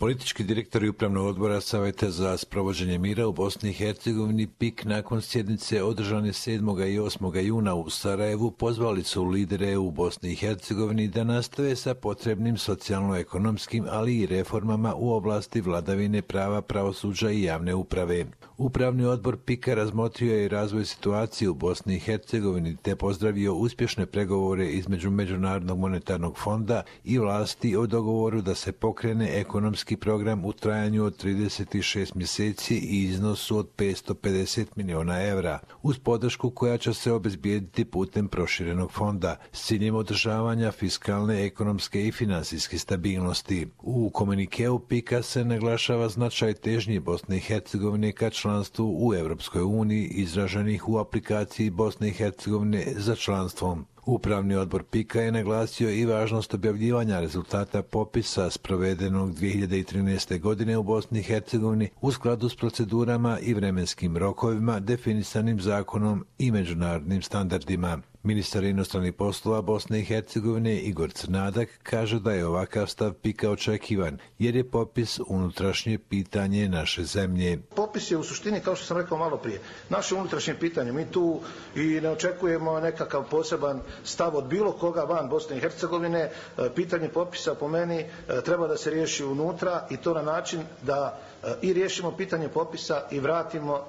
Politički direktori Upravnog odbora Savjeta za sprovođenje mira u Bosni i Hercegovini PIK nakon sjednice održane 7. i 8. juna u Sarajevu pozvali su lidere u Bosni i Hercegovini da nastave sa potrebnim socijalno-ekonomskim, ali i reformama u oblasti vladavine prava, pravosuđa i javne uprave. Upravni odbor PIK-a razmotrio je razvoj situacije u Bosni i Hercegovini te pozdravio uspješne pregovore između Međunarodnog monetarnog fonda i vlasti o dogovoru da se pokrene ekonomski program u trajanju od 36 mjeseci i iznosu od 550 miliona evra, uz podršku koja će se obezbijediti putem proširenog fonda, s ciljem održavanja fiskalne, ekonomske i financijske stabilnosti. U komunikeu PIK-a se naglašava značaj težnje Bosne i Hercegovine ka članstvu u Europskoj uniji, izraženih u aplikaciji Bosne i Hercegovine za članstvom. Upravni odbor PIK-a je naglasio i važnost objavljivanja rezultata popisa sprovedenog 2013. godine u Bosni i Hercegovini u skladu s procedurama i vremenskim rokovima definisanim zakonom i međunarodnim standardima. Ministar inostranih poslova Bosne i Hercegovine Igor Crnadak kaže da je ovakav stav PIK-a očekivan, jer je popis unutrašnje pitanje naše zemlje. Popis je u suštini, kao što sam rekao malo prije, naše unutrašnje pitanje. Mi tu i ne očekujemo nekakav poseban stav od bilo koga van Bosne i Hercegovine. Pitanje popisa po meni treba da se riješi unutra i to na način da i riješimo pitanje popisa i vratimo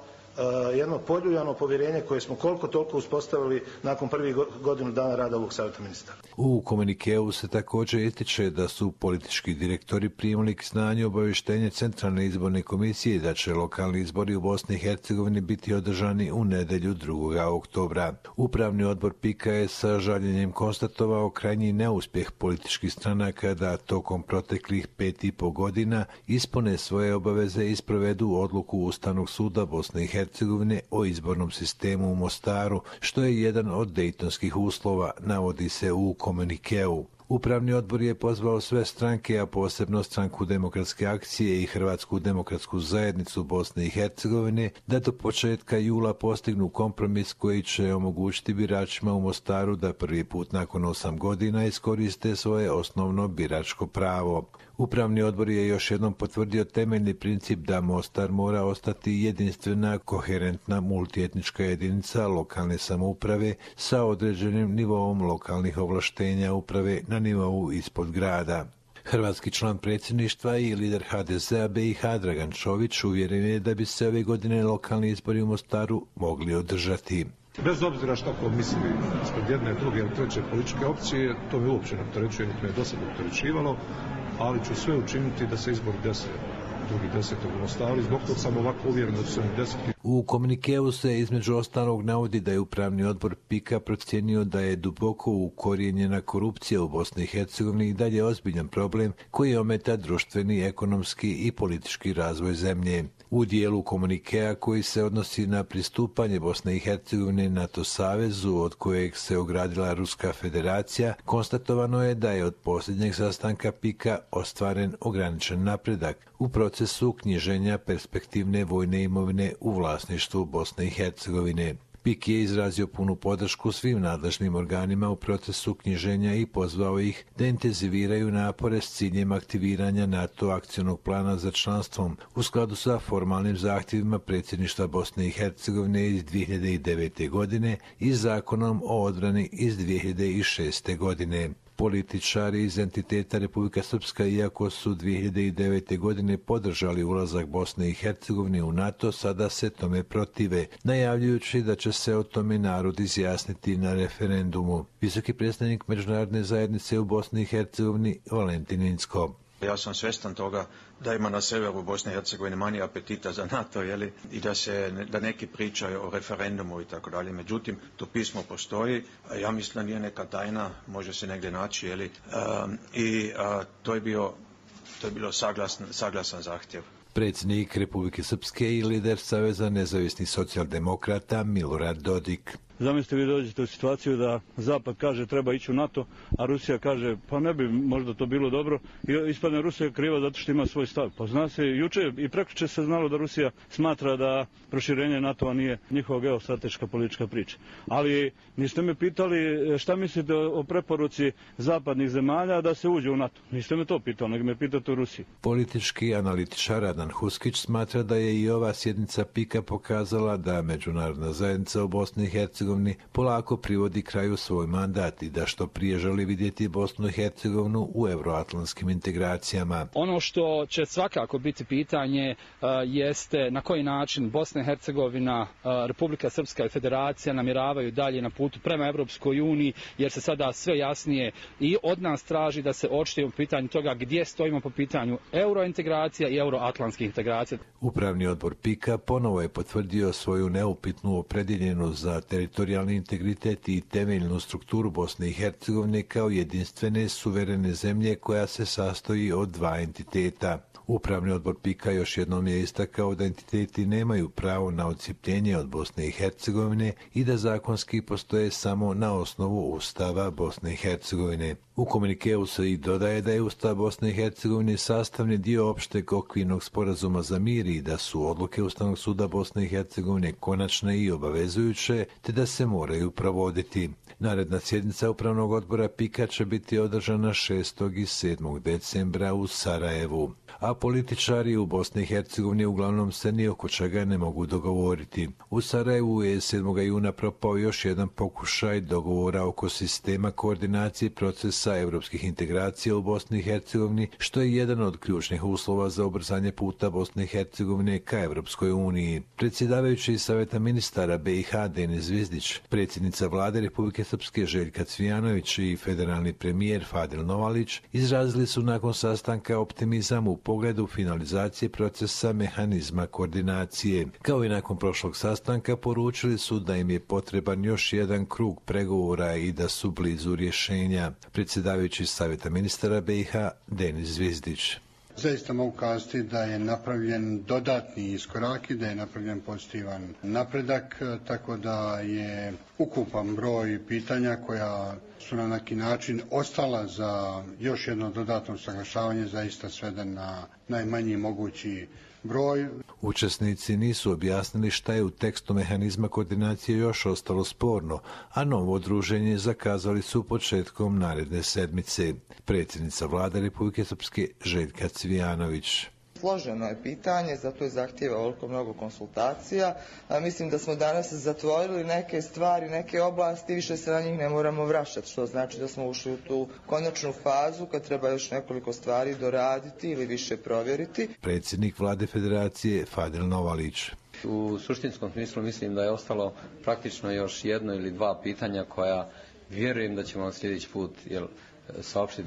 jedno poljuljano povjerenje koje smo koliko toliko uspostavili nakon prvih godinu dana rada ovog savjeta ministara. U komunikeu se također ističe da su politički direktori primili k znanju obavještenje Centralne izborne komisije da će lokalni izbori u Bosni i Hercegovini biti održani u nedjelju 2. oktobra. Upravni odbor PIK-a je sa žaljenjem konstatovao krajnji neuspjeh političkih stranaka da tokom proteklih 5,5 godina ispune svoje obaveze i sprovedu odluku Ustavnog suda Bosne i Hercegovine o izbornom sistemu u Mostaru, što je jedan od dejtonskih uslova, navodi se u komunikeu. Upravni odbor je pozvao sve stranke, a posebno Stranku demokratske akcije i Hrvatsku demokratsku zajednicu Bosne i Hercegovine, da do početka jula postignu kompromis koji će omogućiti biračima u Mostaru da prvi put nakon 8 godina iskoriste svoje osnovno biračko pravo. Upravni odbor je još jednom potvrdio temeljni princip da Mostar mora ostati jedinstvena, koherentna multietnička jedinica lokalne samouprave sa određenim nivoom lokalnih ovlaštenja uprave na nivou ispod grada. Hrvatski član predsjedništva i lider HDZ-a BiH Dragan Čović uvjeren je da bi se ove godine lokalni izbori u Mostaru mogli održati. Bez obzira što ko misli ispred jedne, druge ili treće političke opcije, to me uopće ne opterećuje, niti me do sada opterećivalo, ali ću sve učiniti da se izbor desi 2.10. u Mostaru, zbog toga sam ovako uvjeren da će se desiti. U komunikeu se između ostalog navodi da je Upravni odbor PIK-a procijenio da je duboko ukorijenjena korupcija u Bosni i Hercegovini i dalje ozbiljan problem koji ometa društveni, ekonomski i politički razvoj zemlje. U dijelu komunikea koji se odnosi na pristupanje Bosne i Hercegovine NATO savezu od kojeg se ogradila Ruska federacija, konstatovano je da je od posljednjeg sastanka PIK-a ostvaren ograničen napredak u procesu knjiženja perspektivne vojne imovine u vlasništvu Bosne i Hercegovine. PIK je izrazio punu podršku svim nadležnim organima u procesu knjiženja i pozvao ih da intenziviraju napore s ciljem aktiviranja NATO akcionog plana za članstvom u skladu sa formalnim zahtjevima predsjedništva Bosne i Hercegovine iz 2009. godine i zakonom o odbrani iz 2006. godine. Političari iz entiteta Republika Srpska, iako su 2009. godine podržali ulazak Bosne i Hercegovine u NATO, sada se tome protive, najavljujući da će se o tome narod izjasniti na referendumu. Visoki predstavnik Međunarodne zajednice u Bosni i Hercegovini Valentin Incko. Ja sam svjestan toga da ima na severu Bosne i Hercegovine manje apetita za NATO, i da neki pričaju o referendumu i tako dalje. Međutim, to pismo postoji, ja mislim da nije neka tajna, može se negdje naći, to je bilo saglasan zahtjev. Predsjednik Republike Srpske i lider Saveza nezavisnih socijaldemokrata Milorad Dodik. Zamislite vi dođete u situaciju da Zapad kaže treba ići u NATO, a Rusija kaže pa ne bi možda to bilo dobro i ispadne Rusija kriva zato što ima svoj stav. Pa zna se, juče i prekjuče se znalo da Rusija smatra da proširenje NATO-a nije njihova geostrateška politička priča. Ali niste me pitali šta mislite o preporuci zapadnih zemalja da se uđe u NATO. Niste me to pitali, nego me pitate o Rusiji. Politički analitičar Radan Huskić smatra da je i ova sjednica PIK-a pokazala da međunarodna zajednica u Bosni i Hercegovini polako privodi kraju svoj mandat i da što prije želi vidjeti Bosnu i Hercegovinu u euroatlantskim integracijama. Ono što će svakako biti pitanje jeste na koji način Bosna i Hercegovina, Republika Srpska i Federacija namjeravaju dalje na putu prema Europskoj uniji, jer se sada sve jasnije i od nas traži da se očitujemo u pitanju toga gdje stojimo po pitanju eurointegracija i euroatlantskih integracija. Upravni odbor PIK-a ponovo je potvrdio svoju neupitnu opredjeljenost za teritorijalni integritet i temeljnu strukturu Bosne i Hercegovine kao jedinstvene suverene zemlje koja se sastoji od dva entiteta. Upravni odbor PIK-a još jednom je istakao da entiteti nemaju pravo na odcijepljenje od Bosne i Hercegovine i da zakonski postoje samo na osnovu Ustava Bosne i Hercegovine. U komunikeu se i dodaje da je Ustav Bosne i Hercegovine sastavni dio opšteg okvirnog sporazuma za mir i da su odluke Ustavnog suda Bosne i Hercegovine konačne i obavezujuće, te da se moraju provoditi. Naredna sjednica Upravnog odbora PIK-a će biti održana 6. i 7. decembra u Sarajevu. A političari u Bosni i Hercegovini uglavnom se ni oko čega ne mogu dogovoriti. U Sarajevu je 7. juna propao još jedan pokušaj dogovora oko sistema koordinacije procesa evropskih integracija u Bosni i Hercegovini, što je jedan od ključnih uslova za ubrzanje puta Bosne i Hercegovine ka Evropskoj uniji. Predsjedavajući Saveta ministara BiH Denis Zvizdić, predsjednica vlade Republike Srpske Željka Cvijanović i federalni premijer Fadil Novalić izrazili su nakon sastanka optimizam u pogledu finalizacije procesa mehanizma koordinacije. Kao i nakon prošlog sastanka poručili su da im je potreban još jedan krug pregovora i da su blizu rješenja. Predsjedavajući Savjeta ministara BiH Denis Zvizdić. Zaista mogu kazati da je napravljen dodatni iskorak i da je napravljen pozitivan napredak, tako da je ukupan broj pitanja koja su na neki način ostala za još jedno dodatno saglašavanje zaista sveden na najmanji mogući broj. Učesnici nisu objasnili šta je u tekstu mehanizma koordinacije još ostalo sporno, a novo druženje zakazali su početkom naredne sedmice. Predsjednica vlade Republike Srpske Željka Cvijanović. Složeno je pitanje, zato je zahtjeva ovoliko mnogo konsultacija. Mislim da smo danas zatvorili neke stvari, neke oblasti, više se na njih ne moramo vraćati, što znači da smo ušli u tu konačnu fazu kad treba još nekoliko stvari doraditi ili više provjeriti. Predsjednik vlade Federacije Fadil Novalić. U suštinskom smislu mislim da je ostalo praktično još jedno ili dva pitanja koja vjerujem da ćemo sljedeći put saopštiti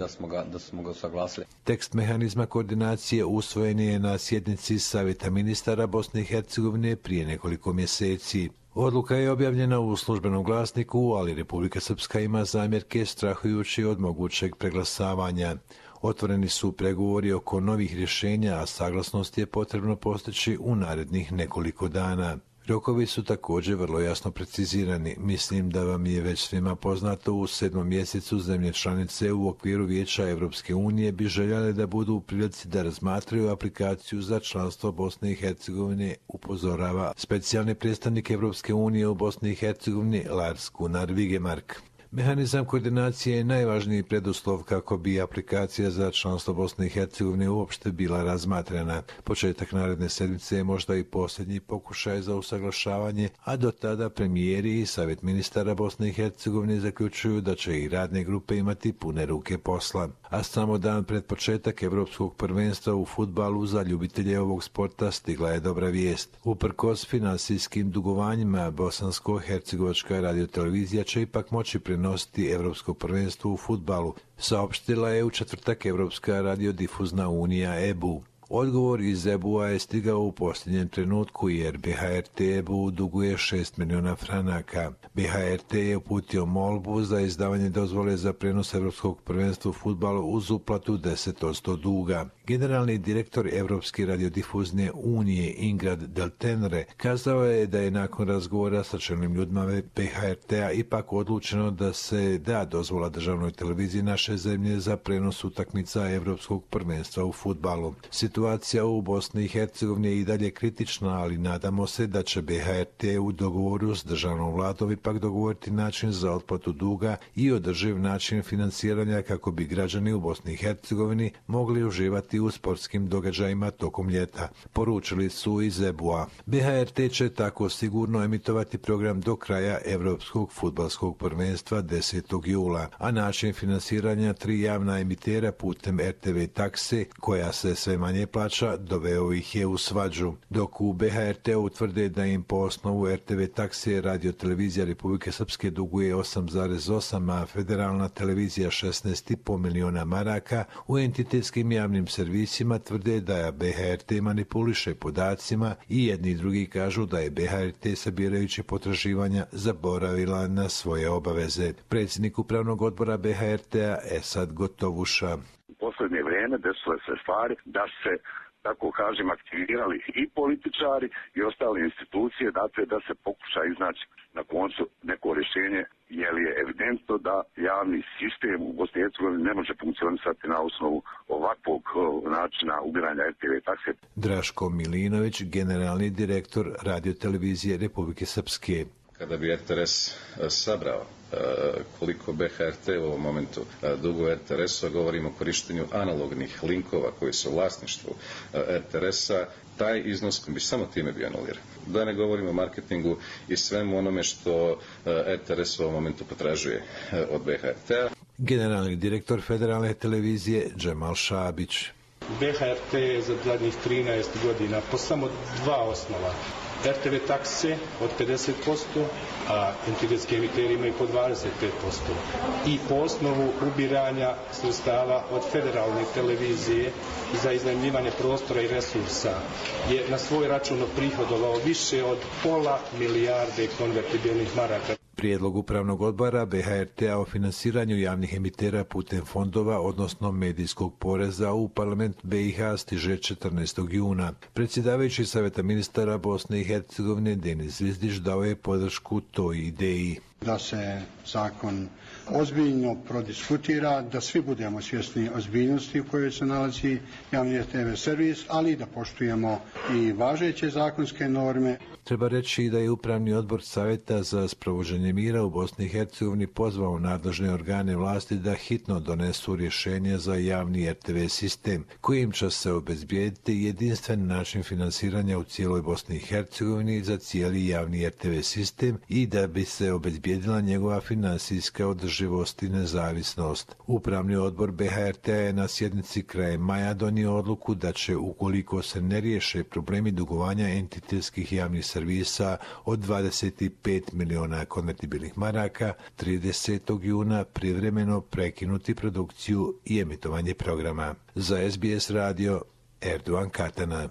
da smo ga usaglasili. Tekst mehanizma koordinacije usvojen je na sjednici Savjeta ministara Bosne i Hercegovine prije nekoliko mjeseci. Odluka je objavljena u službenom glasniku, ali Republika Srpska ima zamjerke strahujući od mogućeg preglasavanja. Otvoreni su pregovori oko novih rješenja, a saglasnost je potrebno postići u narednih nekoliko dana. Rokovi su također vrlo jasno precizirani. Mislim da vam je već svima poznato, u 7. mjesecu zemlje članice u okviru Vijeća Evropske unije bi željele da budu u prilici da razmatraju aplikaciju za članstvo Bosne i Hercegovine, upozorava specijalni predstavnik Evropske unije u Bosni i Hercegovini Lars Gunnar Vigemark. Mehanizam koordinacije je najvažniji preduslov kako bi aplikacija za članstvo Bosne i Hercegovine uopšte bila razmatrana. Početak naredne sedmice je možda i posljednji pokušaj za usaglašavanje, a do tada premijeri i Savjet ministara Bosne i Hercegovine zaključuju da će i radne grupe imati pune ruke posla. A samo dan pred početak Evropskog prvenstva u fudbalu za ljubitelje ovog sporta stigla je dobra vijest. Uprkos finansijskim dugovanjima, Bosansko-hercegovačka radiotelevizija će ipak moći prenositi Evropsko prvenstvo u fudbalu, saopštila je u četvrtak Evropska radiodifuzna unija EBU. Odgovor iz EBU-a je stigao u posljednjem trenutku jer BHRT EBU duguje 6 miliona franaka. BHRT je uputio molbu za izdavanje dozvole za prenos Evropskog prvenstva u fudbalu uz uplatu 10% duga. Generalni direktor Evropske radiodifuzne unije Ingrad Del Tenere kazao je da je nakon razgovora sa čelnim ljudima BHRT-a ipak odlučeno da se da dozvola državnoj televiziji naše zemlje za prenos utakmica Evropskog prvenstva u fudbalu. Situacija u Bosni i Hercegovini je i dalje kritična, ali nadamo se da će BHRT u dogovoru s državnom vladom ipak dogovoriti način za otplatu duga i održiv način financiranja kako bi građani u Bosni i Hercegovini mogli uživati u sportskim događajima tokom ljeta, poručili su iz EBU-a. BHRT će tako sigurno emitovati program do kraja Evropskog fudbalskog prvenstva 10. jula, a način finansiranja 3 javna emitera putem RTV takse, koja se sve manje plaća, doveo ih je u svađu. Dok u BHRT utvrde da im po osnovu RTV takse Radio-televizija Republike Srpske duguje 8,8, a federalna televizija 16,5 miliona maraka, u entitetskim javnim servisima tvrde da BHRT manipuliše podacima i jedni i drugi kažu da je BHRT sabirajući potraživanja zaboravila na svoje obaveze. Predsjednik upravnog odbora BHRT-a Esad Gotovuša. U posljednje vrijeme desile se stvari da se, tako kažem, aktivirali i političari i ostale institucije, dakle da se pokuša iznaći na koncu neko rješenje, jer je evidentno da javni sistem u Bosni i Hercegovini ne može funkcionisati na osnovu ovakvog načina ubiranja RTV takse. Draško Milinović, generalni direktor Radio-televizije Republike Srpske. Kada bi RTRS sabrao koliko BHRT u ovom momentu duguje RTRS-u, govorimo o korištenju analognih linkova koji su u vlasništvu RTRS-a, taj iznos bi samo time bio anuliran. Da ne govorimo o marketingu i svemu onome što RTRS u ovom momentu potražuje od BHRT-a. Generalni direktor federalne televizije Džemal Šabić. BHRT je za zadnjih 13 godina po samo 2 osnova. RTV takse od 50%, a entitetski emiteri imaju po 25%. I po osnovu ubiranja sredstava od federalne televizije za iznajmljivanje prostora i resursa je na svoj račun prihodovao više od pola milijarde konvertibilnih maraka. Prijedlog upravnog odbora BHRT-a o finansiranju javnih emitera putem fondova, odnosno medijskog poreza, u parlament BiH stiže 14. juna. Predsjedavajući Savjeta ministara Bosne i Hercegovine Denis Zvizdić dao je podršku toj ideji. Da se zakon ozbiljno prodiskutira, da svi budemo svjesni ozbiljnosti u kojoj se nalazi javni TV servis, ali da poštujemo i važeće zakonske norme. Treba reći da je Upravni odbor Savjeta za sprovođenje mira u Bosni i Hercegovini pozvao nadležne organe vlasti da hitno donesu rješenje za javni RTV sistem, kojim će se obezbijediti jedinstven način finansiranja u cijeloj Bosni i Hercegovini za cijeli javni RTV sistem i da bi se obezbijedila njegova finansijska održivost i nezavisnost. Upravni odbor BHRT je na sjednici krajem maja donio odluku da će, ukoliko se ne riješe problemi dugovanja entitetskih javnih servisa od 25 miliona konvertibilnih maraka, 30. juna privremeno prekinuti produkciju i emitovanje programa. Za SBS radio, Erdogan Katana.